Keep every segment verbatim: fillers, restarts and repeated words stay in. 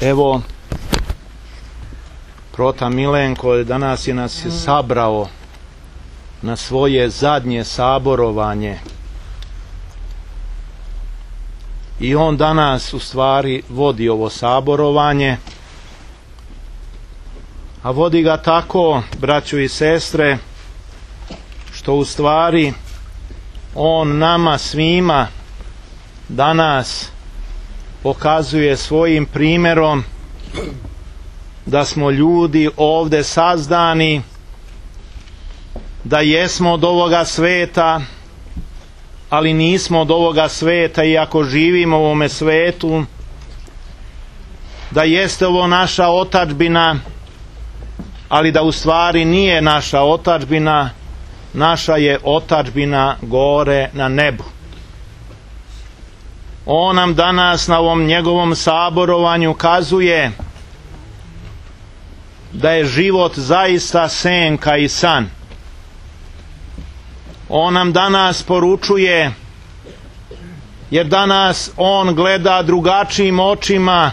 Evo, Prota Milenko danas je nas je sabrao na svoje zadnje saborovanje i on danas u stvari vodi ovo saborovanje, a vodi ga tako, braćo i sestre, što u stvari on nama svima danas pokazuje svojim primjerom da smo ljudi ovdje sazdani, da jesmo od ovoga sveta, ali nismo od ovoga sveta iako živimo u ovome svetu, da jeste ovo naša otadžbina, ali da u stvari nije naša otadžbina, naša je otadžbina gore na nebu. On nam danas na ovom njegovom saborovanju kazuje da je život zaista senka i san. On nam danas poručuje, jer danas on gleda drugačijim očima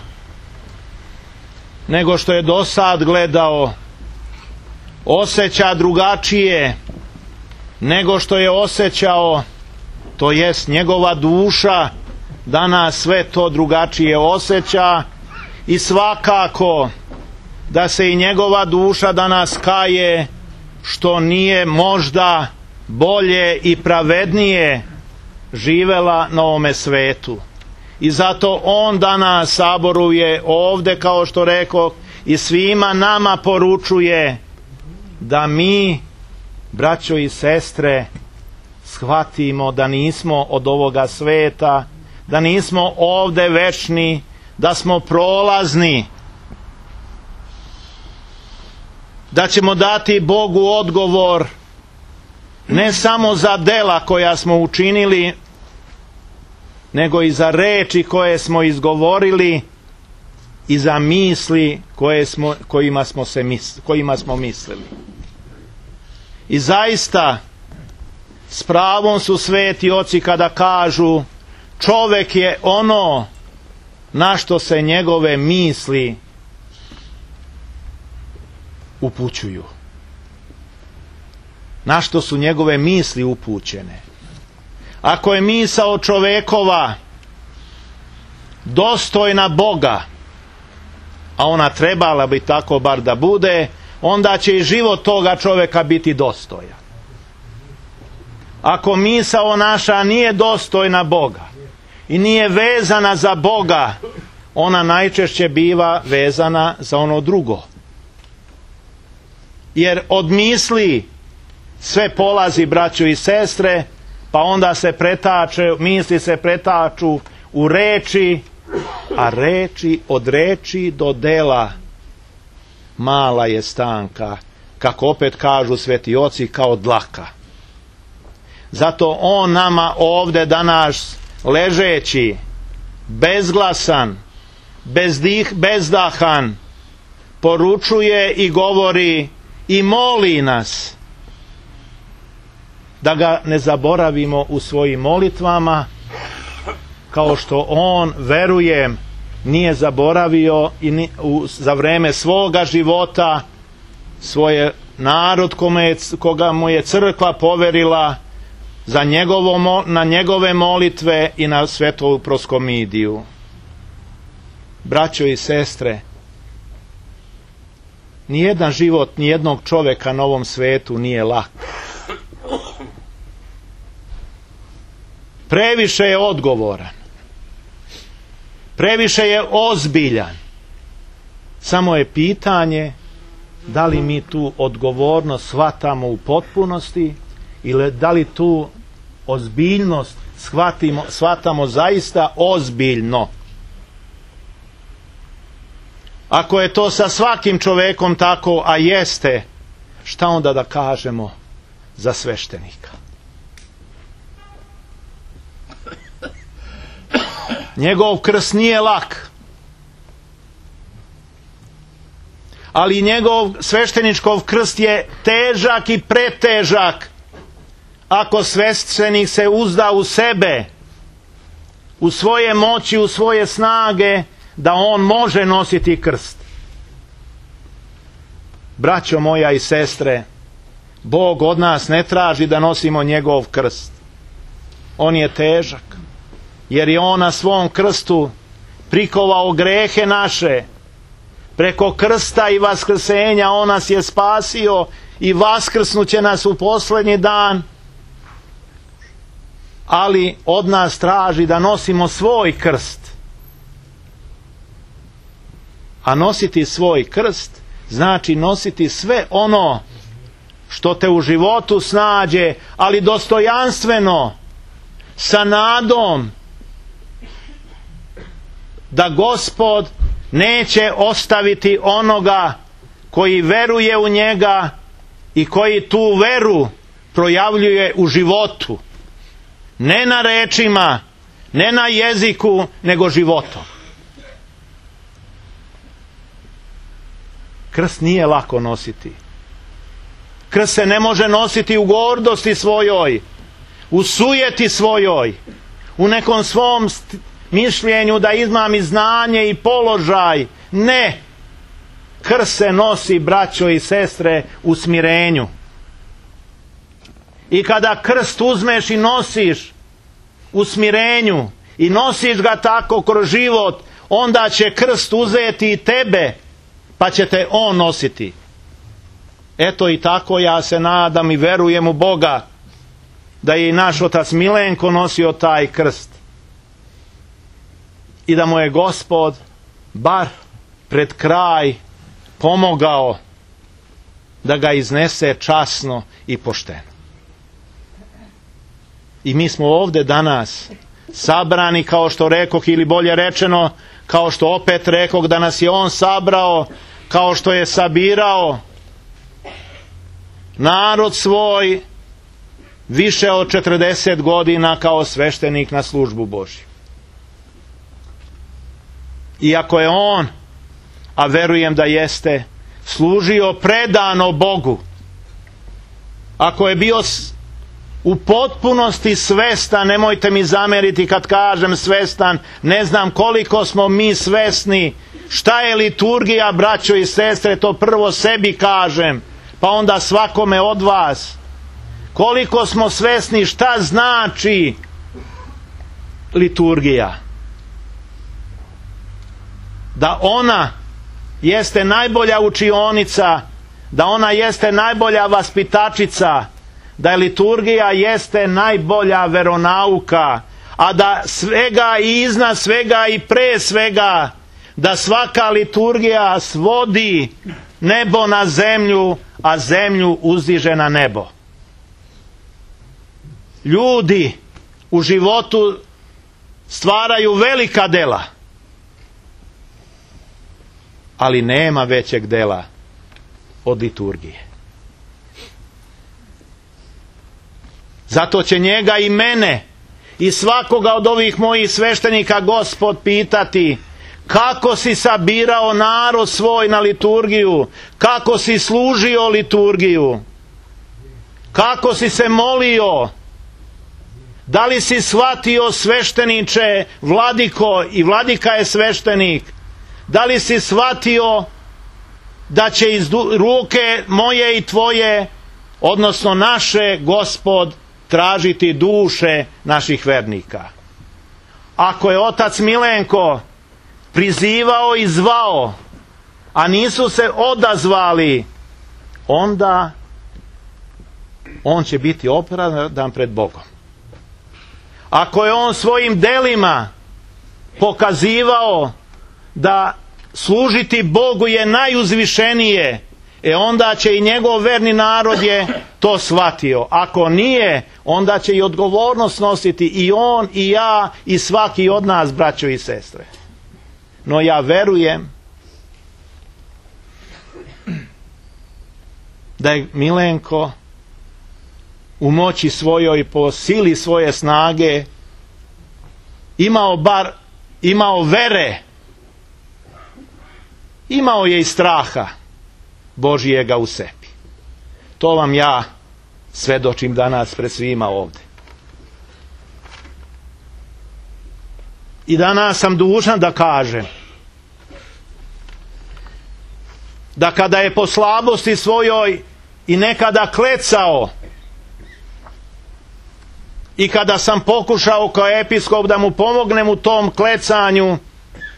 nego što je do sad gledao, osjeća drugačije nego što je osjećao, to jest njegova duša danas sve to drugačije osjeća i svakako da se i njegova duša danas kaje što nije možda bolje i pravednije živela na ovome svetu. I zato on danas saboruje ovdje, kao što rekao, i svima nama poručuje da mi, braćo i sestre, shvatimo da nismo od ovoga sveta, da nismo ovdje večni, da smo prolazni, da ćemo dati Bogu odgovor ne samo za dela koja smo učinili, nego i za reči koje smo izgovorili i za misli koje smo, kojima, smo se misli, kojima smo mislili. I zaista s pravom su sveti oci kada kažu čovjek je ono na što se njegove misli upućuju, na što su njegove misli upućene. Ako je misao čovjekova dostojna Boga, a ona trebala bi tako bar da bude, onda će i život toga čovjeka biti dostojan. Ako misao naša nije dostojna Boga i nije vezana za Boga, ona najčešće biva vezana za ono drugo. Jer od misli sve polazi, braćo i sestre, pa onda se pretače, misli se pretaču u reči, a reči, od reči do dela mala je stanka, kako opet kažu sveti oci, kao dlaka. Zato on nama ovdje danas ležeći, bezglasan, bezdih, bezdahan, poručuje i govori i moli nas da ga ne zaboravimo u svojim molitvama, kao što on, verujem, nije zaboravio i ni, u, za vreme svoga života svoje narod kome, koga mu je crkva poverila za njegovo, na njegove molitve i na svetovu proskomidiju. Braćo i sestre, nijedan život nijednog čovjeka na ovom svetu nije lak. Previše je odgovoran, previše je ozbiljan. Samo je pitanje da li mi tu odgovornost shvatamo u potpunosti ili da li tu ozbiljnost shvatimo, shvatamo zaista ozbiljno. Ako je to sa svakim čovjekom tako, a jeste, šta onda da kažemo za sveštenika? Njegov krst nije lak, ali njegov svešteničkov krst je težak i pretežak ako sveštenik se uzda u sebe, u svoje moći, u svoje snage, da on može nositi krst. Braćo moja i sestre, Bog od nas ne traži da nosimo njegov krst. On je težak, jer je on na svom krstu prikovao grehe naše. Preko krsta i vaskrsenja on nas je spasio i vaskrsnuće nas u posljednji dan. Ali od nas traži da nosimo svoj krst. A nositi svoj krst znači nositi sve ono što te u životu snađe, ali dostojanstveno, sa nadom da Gospod neće ostaviti onoga koji veruje u njega i koji tu veru projavljuje u životu. Ne na rečima, ne na jeziku, nego životom. Krst nije lako nositi. Krst se ne može nositi u gordosti svojoj, u sujeti svojoj, u nekom svom mišljenju da imam i znanje i položaj. Ne. Krst se nosi, braćo i sestre, u smirenju. I kada krst uzmeš i nosiš u smirenju i nosiš ga tako kroz život, onda će krst uzeti i tebe, pa će te on nositi. Eto i tako ja se nadam i verujem u Boga da je i naš otac Milenko nosio taj krst i da mu je Gospod bar pred kraj pomogao da ga iznese časno i pošteno. I mi smo ovdje danas sabrani, kao što rekoh, ili bolje rečeno, kao što opet rekoh, da nas je on sabrao, kao što je sabirao narod svoj više od četrdeset godina kao sveštenik na službu Božju. Iako je on, a verujem da jeste, služio predano Bogu, ako je bio u potpunosti svestan, nemojte mi zameriti kad kažem svestan, ne znam koliko smo mi svesni šta je liturgija, braćo i sestre, to prvo sebi kažem, pa onda svakome od vas. Koliko smo svesni šta znači liturgija. Da ona jeste najbolja učionica, da ona jeste najbolja vaspitačica, da je liturgija jeste najbolja veronauka, a da svega i iznad svega i pre svega, da svaka liturgija svodi nebo na zemlju, a zemlju uzdiže na nebo. Ljudi u životu stvaraju velika dela, ali nema većeg dela od liturgije. Zato će njega i mene i svakoga od ovih mojih sveštenika Gospod pitati: kako si sabirao narod svoj na liturgiju, kako si služio liturgiju, kako si se molio, da li si shvatio, svešteniče, vladiko, i vladika je sveštenik, da li si shvatio da će iz ruke moje i tvoje, odnosno naše, Gospod tražiti duše naših vernika. Ako je otac Milenko prizivao i zvao, a nisu se odazvali, onda on će biti opravdan pred Bogom. Ako je on svojim delima pokazivao da služiti Bogu je najuzvišenije, e onda će i njegov verni narod je to shvatio. Ako nije, onda će i odgovornost nositi i on i ja i svaki od nas, braćo i sestre. No ja verujem da je Milenko u moći svojoj, po sili svoje snage, imao bar, imao vere, imao je i straha Božijega u sebi. To vam ja svedočim danas pred svima ovdje. I danas sam dužan da kažem da kada je po slabosti svojoj i nekada klecao, i kada sam pokušao kao episkop da mu pomognem u tom klecanju,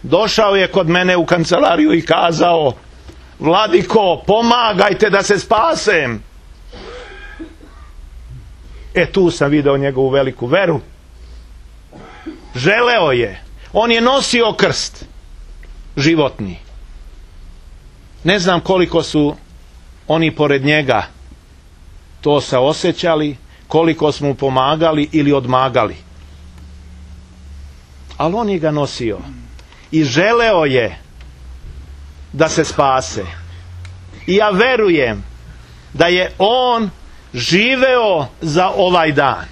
došao je kod mene u kancelariju i kazao: Vladiko, pomagajte da se spasem. E, tu sam video njegovu veliku veru. Želeo je. On je nosio krst životni. Ne znam koliko su oni pored njega to se osjećali, koliko smo mu pomagali ili odmagali. Ali on je ga nosio i želeo je da se spase. I ja verujem da je on živeo za ovaj dan.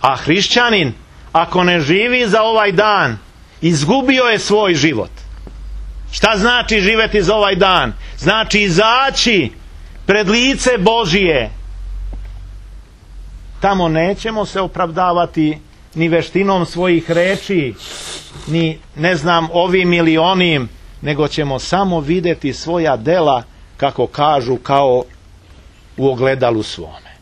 A hrišćanin, ako ne živi za ovaj dan, izgubio je svoj život. Šta znači živjeti za ovaj dan? Znači izaći pred lice Božije. Tamo nećemo se opravdavati ni veštinom svojih reči, ni ne znam ovim ili onim, nego ćemo samo vidjeti svoja dela, kako kažu, kao u ogledalu svome.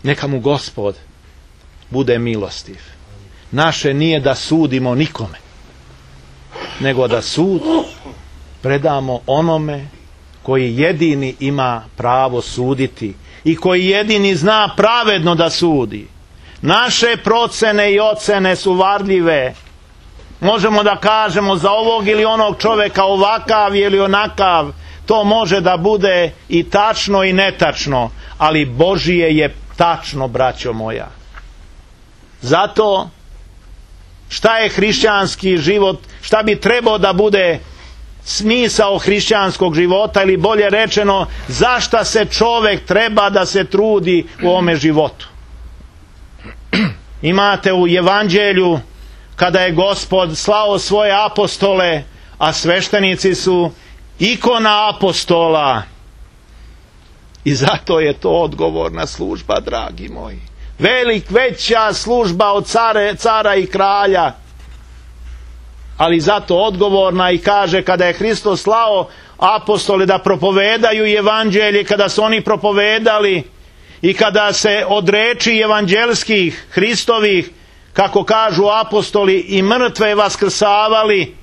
Neka mu Gospod bude milostiv. Naše nije da sudimo nikome, nego da sud predamo onome koji jedini ima pravo suditi i koji jedini zna pravedno da sudi. Naše procene i ocene su varljive. Možemo da kažemo za ovog ili onog čovjeka ovakav ili onakav. To može da bude i tačno i netačno, ali Božije je tačno, braćo moja. Zato šta je hrišćanski život, šta bi trebao da bude smisao hrišćanskog života, ili bolje rečeno, zašta se čovjek treba da se trudi u ovome životu. Imate u Evanđelju kada je Gospod slao svoje apostole, a sveštenici su ikona apostola, i zato je to odgovorna služba, dragi moji. Velik, veća služba od care, cara i kralja, ali zato odgovorna. I kaže, kada je Hristos slao apostole da propovedaju evanđelje, kada su oni propovedali i kada se od reči evanđelskih Hristovih, kako kažu apostoli, i mrtve vaskrsavali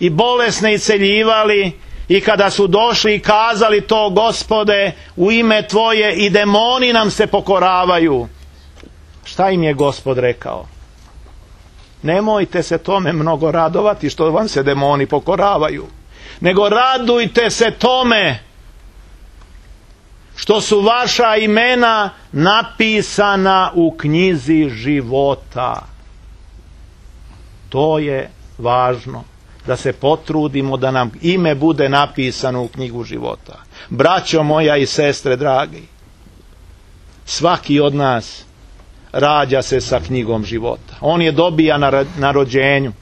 i bolesne isceljivali, i kada su došli i kazali to: Gospode, u ime Tvoje i demoni nam se pokoravaju. Šta im je Gospod rekao? Nemojte se tome mnogo radovati što vam se demoni pokoravaju, nego radujte se tome što su vaša imena napisana u knjizi života. To je važno, da se potrudimo da nam ime bude napisano u knjigu života. Braćo moja i sestre dragi, svaki od nas rađa se sa knjigom života. On je dobija na, na rođenju.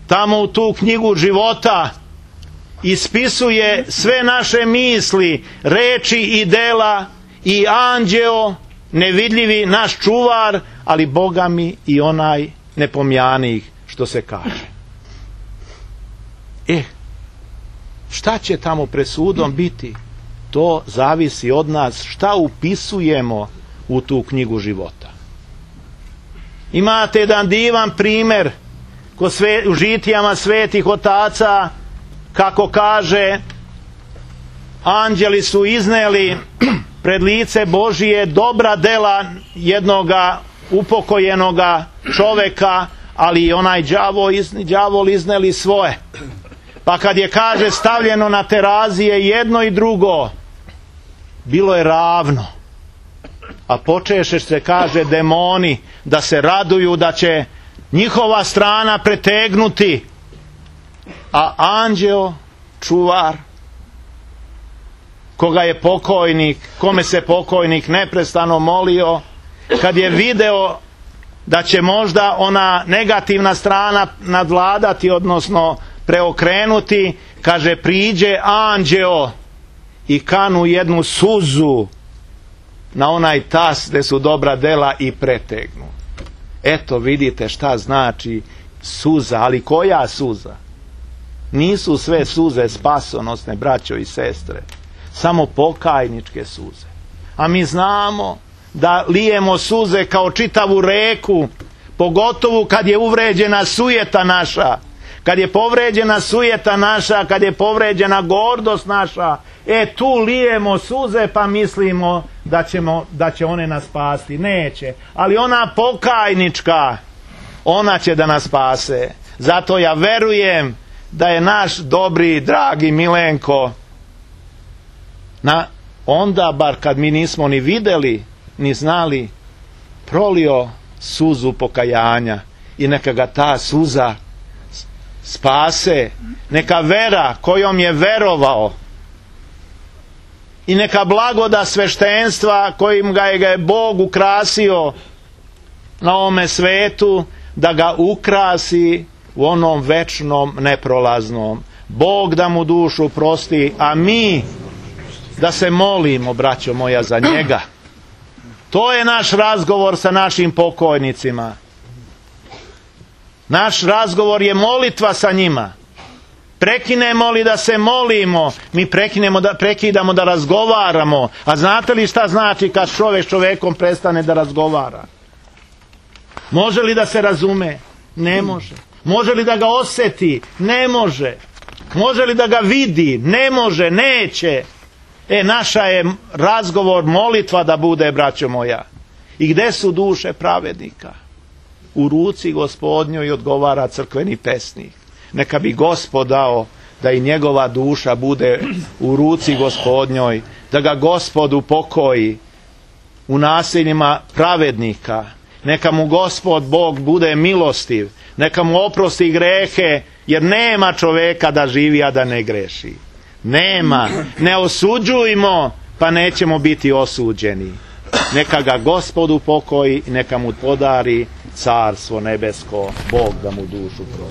Tamo u tu knjigu života ispisuje sve naše misli, reči i dela, i anđeo nevidljivi, naš čuvar, ali Boga mi i onaj nepomjanih, što se kaže. E, šta će tamo presudom biti? To zavisi od nas šta upisujemo u tu knjigu života. Imate jedan divan primjer ko sve, u žitijama svetih otaca, kako kaže, anđeli su izneli pred lice Božije dobra dela jednoga upokojenoga čoveka, ali i onaj đavo, đavol izneli svoje. Pa kad je, kaže, stavljeno na terazije jedno i drugo, bilo je ravno. A počeše se, kaže, demoni da se raduju da će njihova strana pretegnuti, a anđeo, čuvar, koga je pokojnik, kome se pokojnik neprestano molio, kad je video da će možda ona negativna strana nadvladati, odnosno preokrenuti, kaže, priđe anđeo i kanu jednu suzu na onaj tas gde su dobra dela i pretegnu. Eto vidite šta znači suza, ali koja suza? Nisu sve suze spasonosne, braćo i sestre, samo pokajničke suze. A mi znamo da lijemo suze kao čitavu reku, pogotovo kad je uvređena sujeta naša, kad je povređena sujeta naša, kad je povređena gordost naša, e tu lijemo suze pa mislimo da, ćemo, da će one nas spasti. Neće. Ali ona pokajnička, ona će da nas spase. Zato ja verujem da je naš dobri, dragi Milenko, na, onda bar kad mi nismo ni videli, ni znali, prolio suzu pokajanja i neka ga ta suza spase, neka vera kojom je verovao i neka blagoda sveštenstva kojim ga je, ga je Bog ukrasio na ovome svetu, da ga ukrasi u onom večnom neprolaznom. Bog da mu dušu prosti, a mi da se molimo, braćo moja, za njega. To je naš razgovor sa našim pokojnicima. Naš razgovor je molitva sa njima. Prekinemo li da se molimo, mi prekinemo da, prekidamo da razgovaramo. A znate li šta znači kad čovjek s čovjekom prestane da razgovara? Može li da se razume? Ne može. Može li da ga osjeti? Ne može. Može li da ga vidi? Ne može, neće. E, naša je razgovor, molitva da bude, braćo moja. I gde su duše pravednika? U ruci Gospodnjoj, odgovara crkveni pesnik. Neka bi Gospod dao da i njegova duša bude u ruci Gospodnjoj, da ga Gospod upokoji u naseljima pravednika. Neka mu Gospod Bog bude milostiv, neka mu oprosti grehe, jer nema čoveka da živi, a da ne greši. Nema. Ne osuđujmo, pa nećemo biti osuđeni. Neka ga Gospod upokoji i neka mu podari carstvo nebesko, Bog da mu dušu prosti.